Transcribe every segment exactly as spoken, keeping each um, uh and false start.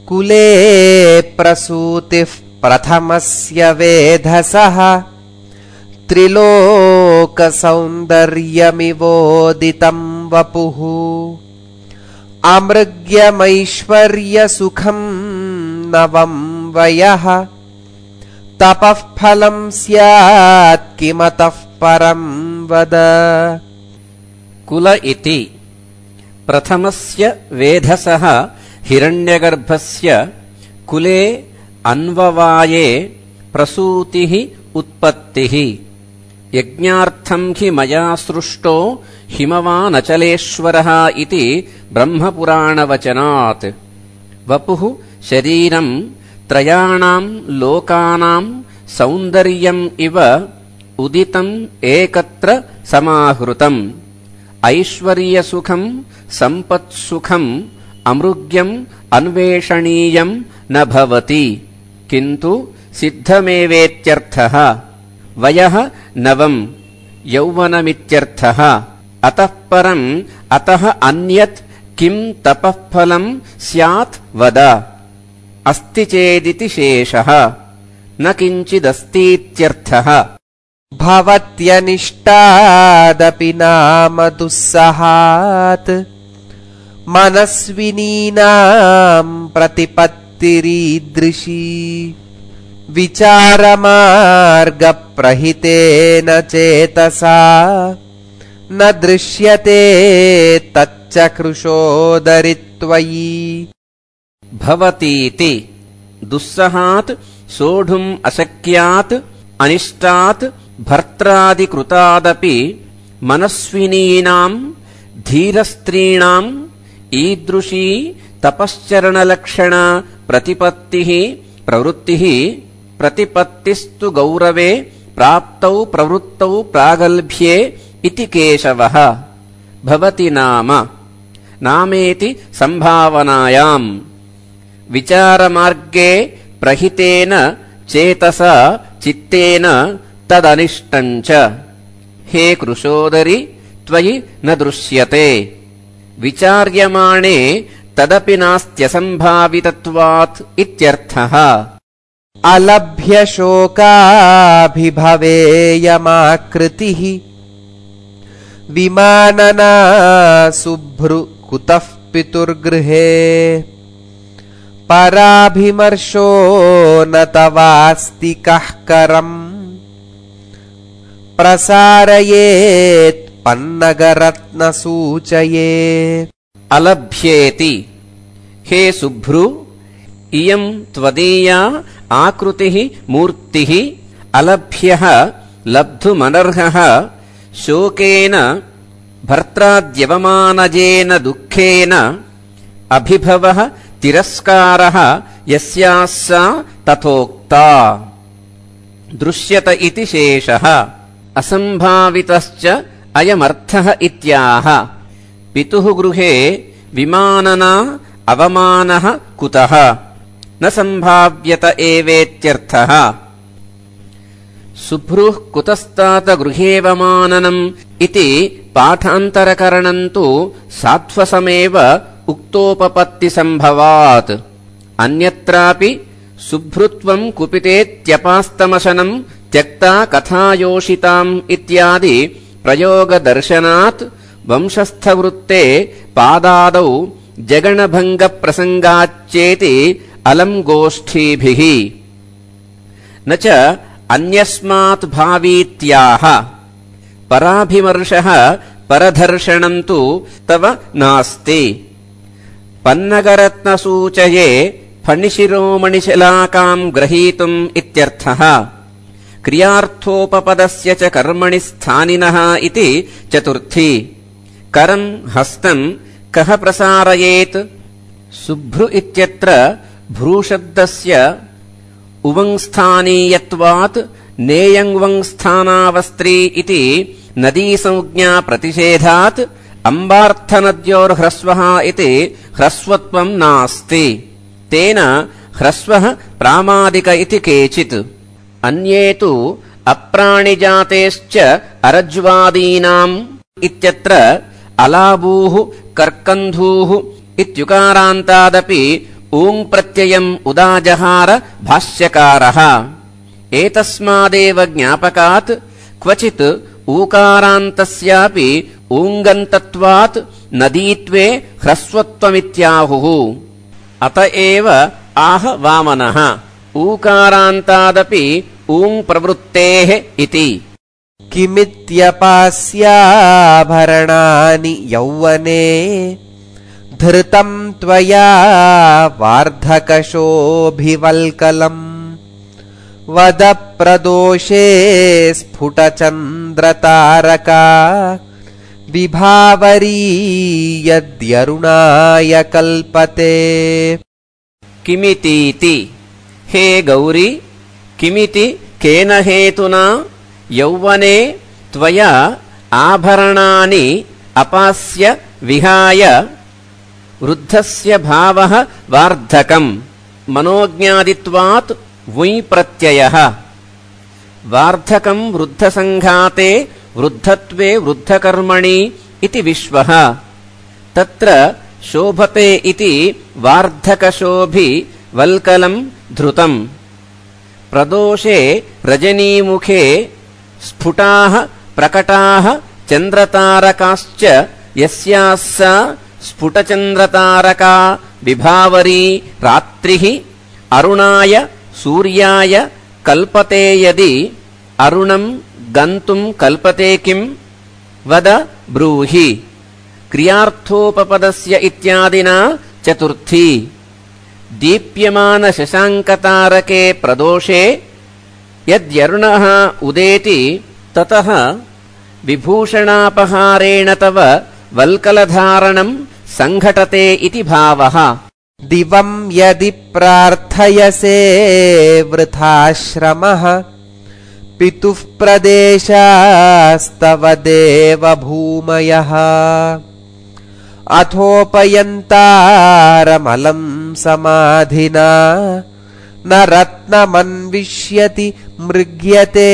कुले प्रसूतिः प्रथमस्य वेधसः त्रिलोकसौन्दर्यमिवोदितं वपुः अमृग्यमैश्वर्यसुखं नवं वयः तपः फलं स्यात् किमतः परं वद। कुल इति प्रथमस्य वेधसः हिरण्यगर्भस्य कुले अन्ववाये प्रसूतिः उत्पत्तिः। यज्ञार्थं हि मया सृष्टो हिमवानचलेश्वरः इति ब्रह्मपुराणवचनात्। वपुः शरीरं त्रयाणां लोकानां सौन्दर्यम् इव उदितम् एकत्र समाहृतम्। ऐश्वर्यसुखं सम्पत्सुखम् अमृग्यम् अन्वेषणीयम् न भवति किन्तु सिद्धमेवेत्यर्थः। वयः नवम् यौवनमित्यर्थः। अतः परम् अतः अन्यत् किम् तपःफलम् स्यात् वद। अस्ति चेदिति शेषः न किञ्चिदस्तीत्यर्थः। भवत्यनिष्टादपि नाम दुस्सहात् मनस्विनीनाम् प्रतिपत्तिरीदृशी विचारमार्गप्रहितेन चेतसा न दृश्यते तच्चकृशोदरित्वयि। भवतीति दुस्सहात् सोढुम् अशक्यात् अनिष्टात् भर्त्रादिकृतादपि मनस्विनीनाम् धीरस्त्रीणाम् ईदृशी तपश्चरणलक्षण प्रतिपत्तिः प्रवृत्तिः। प्रतिपत्तिस्तु गौरवे प्राप्तौ प्रवृत्तौ प्रागल्भ्ये इति केशवः। भवति नाम नामेति संभावनायाम् विचारमार्गे प्रहितेन चेतसा चित्तेन तदनिष्टम् च। हे कृशोदरि त्वयि न दृश्यते विचार्यमाणे तदपि नास्त्यसम्भावितत्वात् इत्यर्थः। अलभ्यशोकाभिभवेयमाकृतिः विमानना शुभ्रु कुतः पितुर्गृहे पराभिमर्शो न तवास्ति कः करम् प्रसारयेत् पन्नगरत्नसूचये। अलभ्येति हे शुभ्रु इयम् त्वदीया आकृतिः मूर्तिः। अलभ्यः लब्धुमनर्हः शोकेन भर्त्राद्यवमानजेन दुःखेन अभिभवः तिरस्कारः यस्याः सा तथोक्ता। दृश्यत इति शेषः। असम्भावितश्च अयमर्थः इत्याह। पितुः गृहे विमानना अवमानः कुतः न सम्भाव्यत एवेत्यर्थः। शुभ्रुः कुतस्तात गृहेवमाननम् इति पाठान्तरकरणम् तु सात्वसमेव उक्तोपपत्तिसम्भवात्। अन्यत्रापि शुभ्रुत्वम् कुपितेत्यपास्तमशनम् त्यक्ता कथायोषिताम् इत्यादि प्रयोगदर्शनात् वंशस्थवृत्ते पादादौ जगणभङ्गप्रसङ्गाच्चेति अलम् गोष्ठीभिः। न च अन्यस्मात् भावीत्याह। पराभिमर्शः परधर्षणम् तु तव नास्ति। पन्नगरत्नसूचये फणिशिरोमणिशलाकाम् ग्रहीतुम् इत्यर्थः। क्रियार्थोपपदस्य च कर्मणि स्थानिनः इति चतुर्थी। करम् हस्तम् कः प्रसारयेत्। शुभ्रु इत्यत्र भ्रूशब्दस्य उवंस्थानीयत्वात् नेयङ्वंस्थानावस्त्री इति नदीसंज्ञा प्रतिषेधात् अम्बार्थनद्योर्ह्रस्वः इति ह्रस्वत्वम् नास्ति। तेन ह्रस्वः प्रामादिक इति केचित्। अन्ये तु अप्राणिजातेश्च अरज्वादीनाम् इत्यत्र अलाबूः कर्कन्धूः इत्युकारान्तादपि ऊङ् प्रत्ययम् उदाजहार भाष्यकारः। एतस्मादेव ज्ञापकात् क्वचित् ऊकारान्तस्यापि ऊङ्गन्तत्वात् नदीत्वे ह्रस्वत्वमित्याहुः। अत एव आह वामनः ऊकारान्तादपि ऊङ् प्रवृत्तेः इति। किमित्यपास्याभरणानि यौवने धृतं त्वया वार्धकशोभिवल्कलम् वद प्रदोषे स्फुटचन्द्रतारका विभावरी यद्यरुणाय कल्पते। किमितीति हे गौरी किमिति केन हेतुना यौवने त्वया आभरणानि अपास्य विहाय वृद्धस्य भावः वार्धकम् मनोज्ञादित्वात् वुञ् प्रत्ययः। वार्धकम् वृद्धसङ्घाते वृद्धत्वे वृद्धकर्मणि इति विश्वः। तत्र शोभते इति वार्धकशोभि वल्कलम् धृतम्। प्रदोषे रजनीमुखे स्फुटाः प्रकटाः चन्द्रतारकाश्च यस्याः सा स्फुटचन्द्रतारका विभावरी रात्रिः अरुणाय सूर्याय कल्पते यदि अरुणम् गन्तुम् कल्पते किम् वद ब्रूहि। क्रियार्थोपपदस्य इत्यादिना चतुर्थी। दीप्यमानशशाङ्कतारके प्रदोषे यद्यरुणः उदेति ततः विभूषणापहारेण तव वल्कलधारणम् सङ्घटते इति भावः। दिवं यदि प्रार्थयसे वृथाश्रमः पितुः प्रदेशास्तव देवभूमयः अथोपयन्तारमलं समाधिना न रत्नमन्विष्यति मृग्यते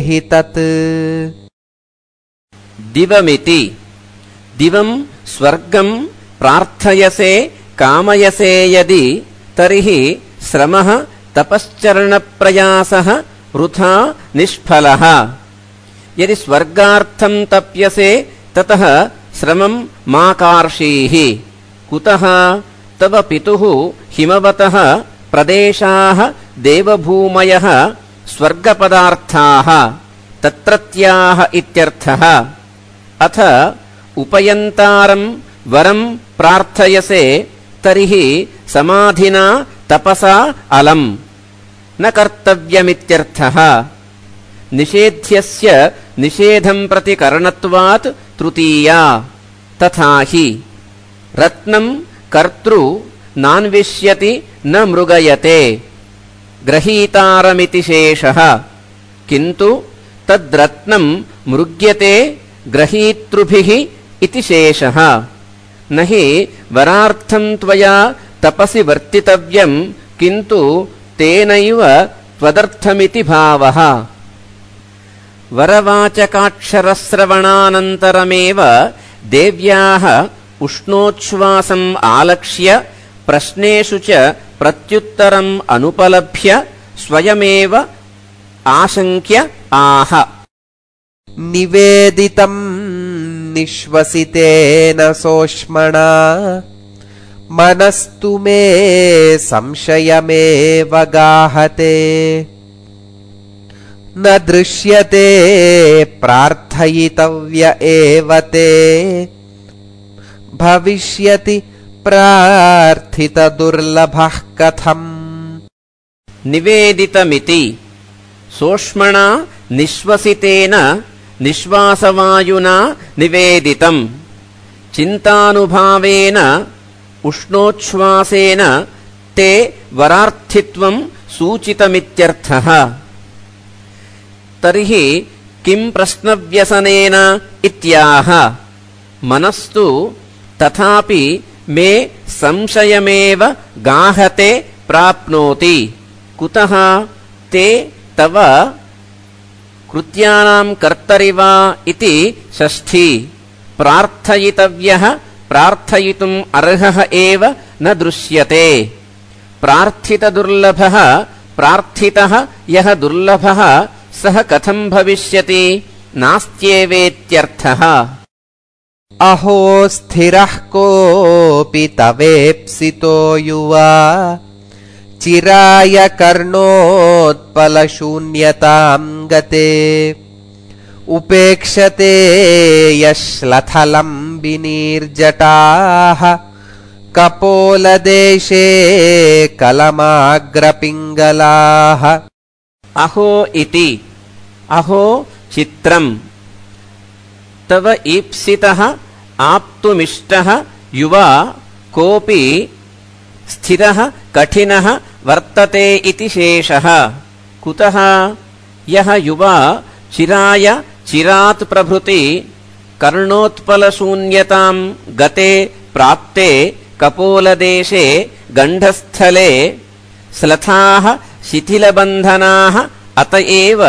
हि तत्। दिवमिति दिवं स्वर्गं प्रार्थयसे कामयसे यदि तर्हि श्रमः तपश्चरणप्रयासः वृथा निष्फलः। यदि स्वर्गार्थं तप्यसे ततः श्रमं मा कार्षीः। कुतः तव पितुः हिमवतः प्रदेशाः देवभूमयः स्वर्गपदार्थाः तत्रत्याः इत्यर्थः। अथ उपयन्तारं वरं प्रार्थयसे तर्हि समाधिना तपसा अलम् न कर्तव्यमित्यर्थः। निषेध्यस्य निषेधं प्रति करणत्वात् तृतीया। तथा हि रत्नं कर्तृ नान्विष्यति न मृगयते ग्रहीतारमिति शेषः। किन्तु तद्रत्नं मृग्यते ग्रहीतृभिः इति शेषः। न हि वरार्थं त्वया तपसि वर्तितव्यं किन्तु तेनैव त्वदर्थमिति भावः। वरवाचकाक्षरश्रवणानन्तरमेव देव्याः उष्णोच्छ्वासम् आलक्ष्य प्रश्नेषु च प्रत्युत्तरम् अनुपलभ्य स्वयमेव आशङ्क्य आह। निवेदितं निश्वसितेन सोष्मणा मनस्तु मे संशयमेव गाहते न दृश्यते प्रार्थयितव्य एव ते भविष्यति प्रार्थितदुर्लभः कथम्। निवेदितमिति सोष्मणा निश्वसितेन निश्वासवायुना निवेदितम् चिन्तानुभावेन उष्णोच्छ्वासेन ते वरार्थित्वं सूचितमित्यर्थः। तर्हि किं प्रश्नव्यसनेन इत्याह। मनस्तु तथापि मे संशयमेव गाहते प्राप्नोति। कुतः ते तव कृत्यानां कर्तरिवा इति षष्ठी। प्रार्थयितव्यः प्रार्थयितुम् अर्हः एव न दृश्यते। प्रार्थितदुर्लभः प्रार्थितः यः दुर्लभः सः कथं भविष्यति नास्त्येवेत्यर्थः। अहो स्थिरः कोऽपि तवेप्सितो युवा चिराय कर्णोत्पलशून्यतां गते उपेक्षते यश्लथलम्बिनीर्जटाः कपोलदेशे कलमाग्रपिङ्गलाः। अहो इति अहो चित्रम् तव ईप्सितः आप्तुमिष्टः युवा कोऽपि स्थिरः कठिनः वर्तते इति शेषः। कुतः यः युवा चिराय चिरात् प्रभृति कर्णोत्पलशून्यतां गते प्राप्ते कपोलदेशे गण्डस्थले स्लथाः शिथिलबन्धनाः अत एव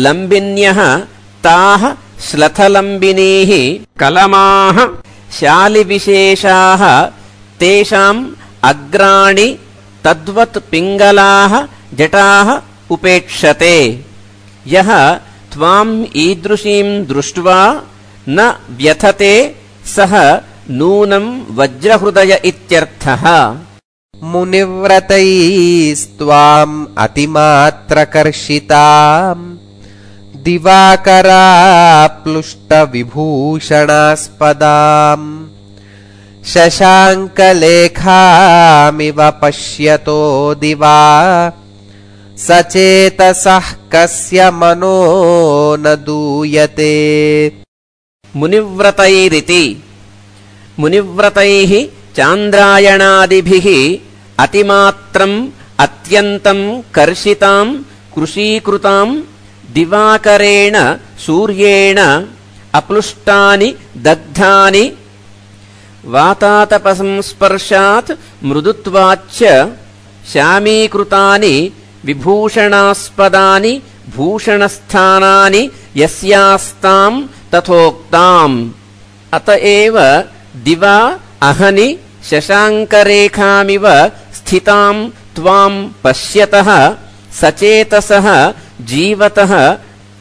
लम्बिन्यः ताः श्लथलम्बिनीः कलमाः शालिविशेषाः तेषाम् अग्राणि तद्वत् पिङ्गलाः जटाः उपेक्षते। यः त्वाम् ईदृशीं दृष्ट्वा न व्यथते सः नूनं वज्रहृदय इत्यर्थः। मुनिव्रतैस्त्वाम् अतिमात्रकर्षिताम् दिवाकराप्लुष्टविभूषणास्पदाम् शशाङ्कलेखामिव पश्यतो दिवा सचेतसः कस्य मनो न दूयते। मुनिव्रतैरिति मुनिव्रतैः चान्द्रायणादिभिः अतिमात्रम् अत्यन्तम् कर्षिताम् कृशीकृताम् दिवाकरेण सूर्येण अप्लुष्टानि दग्धानि वातातपसंस्पर्शात् मृदुत्वाच्च श्यामीकृतानि विभूषणास्पदानि भूषणस्थानानि यस्यास्ताम् तथोक्ताम्। अत एव दिवा अहनि शशाङ्करेखामिव स्थिताम् त्वाम् पश्यतः सचेतसः जीवतः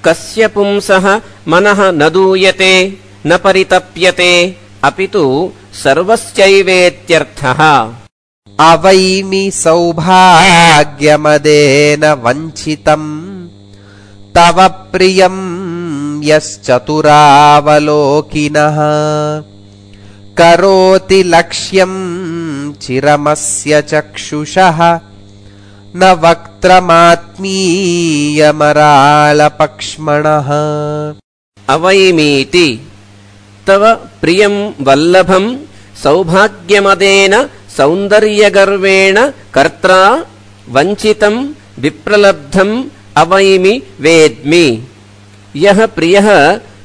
कस्य पुंसः मनः न दूयते न परितप्यते अपितु सर्वस्यैवेत्यर्थः। अवैमि सौभाग्यमदेन वञ्चितम् तव प्रियम् यश्चतुरावलोकिनः करोति लक्ष्यम् चिरमस्य चक्षुषः न वक्त्रमात्मीयमराळपक्ष्मणः। अवैमीति तव प्रियं वल्लभं सौभाग्यमदेन सौन्दर्यगर्वेण कर्त्रा वञ्चितं विप्रलब्धम् अवैमि वेद्मि। यः प्रियः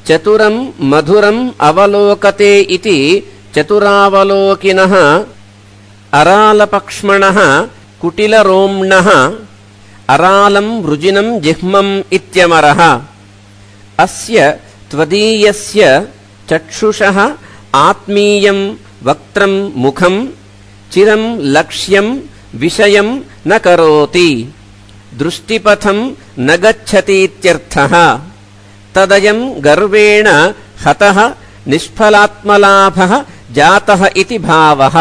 चतुरं मधुरम् अवलोकते इति चतुरावलोकिनः अरालपक्ष्मणः कुटिलरोम्णः अरालं वृजिनं जिह्मम् इत्यमरः। अस्य त्वदीयस्य चक्षुषः आत्मीयं वक्त्रं मुखं चिरं लक्ष्यं विषयं न करोति दृष्टिपथं न गच्छतीत्यर्थः। तदयं गर्वेण हतः निष्फलात्मलाभः जातः इति भावः।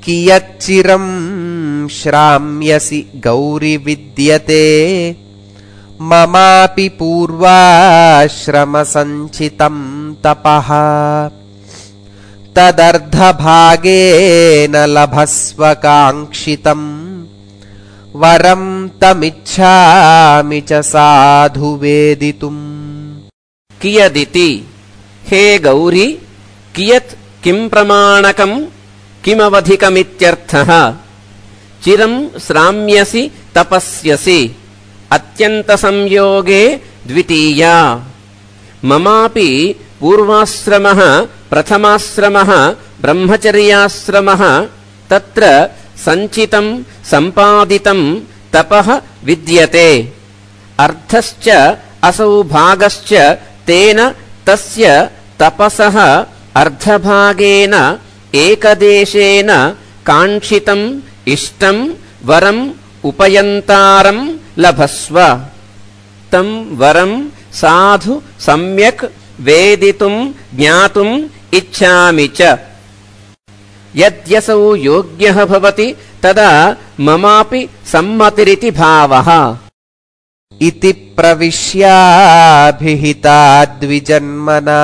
कियच्चिरं श्राम्यसि गौरि विद्यते ममापि पूर्वाश्रमसञ्चितं तपः तदर्धभागेन लभस्व काङ्क्षितं वरं तमिच्छामि च साधु वेदितुम्। कियदिति हे गौरी कियत् किं प्रमाणकं किमवधिकमित्यर्थः। चिरं श्राम्यसि तपस्यसि अत्यन्तसंयोगे द्वितीया। ममापि पूर्वाश्रमः प्रथमाश्रमः ब्रह्मचर्याश्रमः तत्र सञ्चितं सम्पादितं तपः विद्यते। अर्धश्च असौ भागश्च तेन तस्य तपसः अर्धभागेन एकदेशेन काङ्क्षितम् इष्टम् वरम् उपयन्तारम् लभस्व तम् वरम् साधु सम्यक् वेदितुम् ज्ञातुम् इच्छामि च यद्यसौ योग्यः भवति तदा ममापि सम्मतिरिति भावः इति प्रविश्याभिहिताद्विजन्मना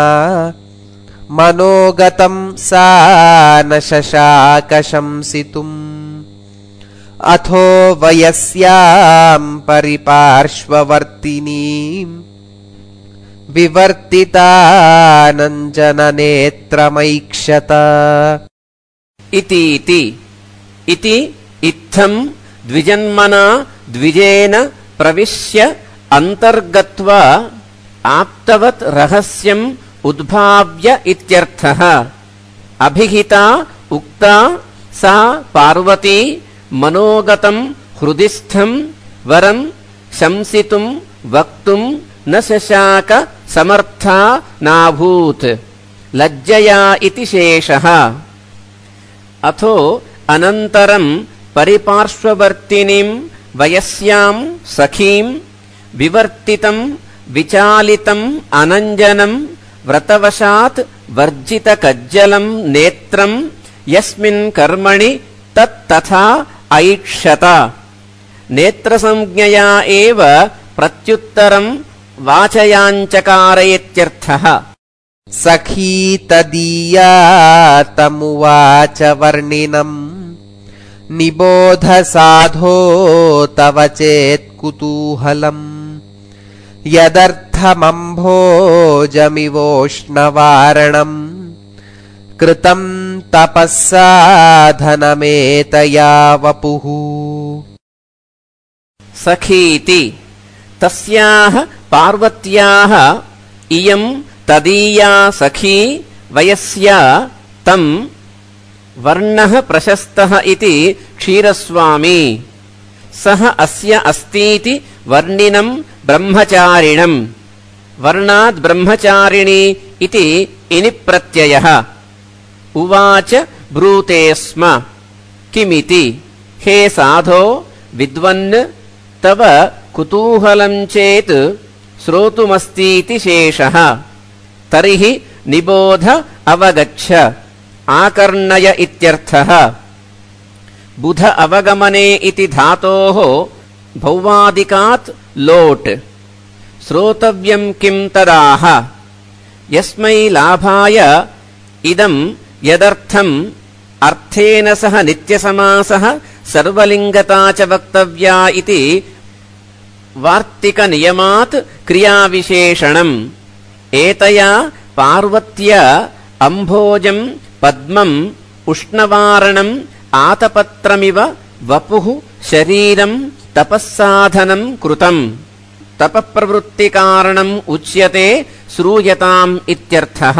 मनोगतम् सा न शशाक शंसितुम् अथो वयस्याम् परिपार्श्ववर्तिनीम् विवर्तितानञ्जननेत्रमैक्षत इतीति इति इत्थम् द्विजन्मना द्विजेन प्रविश्य अन्तर्गत्वा आप्तवत् रहस्यम् उद्भाव्य इत्यर्थः अभिहिता उक्ता सा पार्वती मनोगतम् हृदिस्थम् वरम् शंसितुम् वक्तुम् न शशाक समर्था नाभूत् लज्जया इति शेषः अथो अनन्तरम् परिपार्श्ववर्तिनीम् वयस्याम् सखीम् विवर्तितम् विचालितम् अनञ्जनम् व्रतवशात् वर्जितकज्जलम् नेत्रम् यस्मिन् कर्मणि तत्तथा ऐक्षत नेत्रसंज्ञया एव प्रत्युत्तरम् वाचयाञ्चकारयेत्यर्थः सखी तदीया तमुवाच वर्णिनम् निबोध साधो तव चेत्कुतूहलम् यदर्थमम्भोजमिवोष्णवारणम् कृतम् तपःसाधनमेतया वपुः सखीति तस्याः पार्वत्याः इयम् तदीया सखी वयस्या तम् वर्णः प्रशस्तः इति क्षीरस्वामी सः अस्य अस्तीति वर्णिनम् ब्रह्मचारिणम् वर्णाद् ब्रह्मचारिणी इति इनि प्रत्ययः उवाच ब्रूते स्म किमिति हे साधो विद्वन् तव कुतूहलम् चेत् श्रोतुमस्तीति शेषः तर्हि निबोध अवगच्छ आकर्णय इत्यर्थः बुध अवगमने इति धातोः भौवादिकात् लोट् श्रोतव्यम् किम् तदाह यस्मै लाभाय इदम् यदर्थम् अर्थेन सह नित्यसमासः सर्वलिङ्गता च वक्तव्या इति वार्तिकनियमात् क्रियाविशेषणम् एतया पार्वत्या अम्भोजम् पद्मम् उष्णवारणम् आतपत्रमिव वपुः शरीरम् तपःसाधनम् कृतम् तपःप्रवृत्तिकारणम् उच्यते श्रूयताम् इत्यर्थः।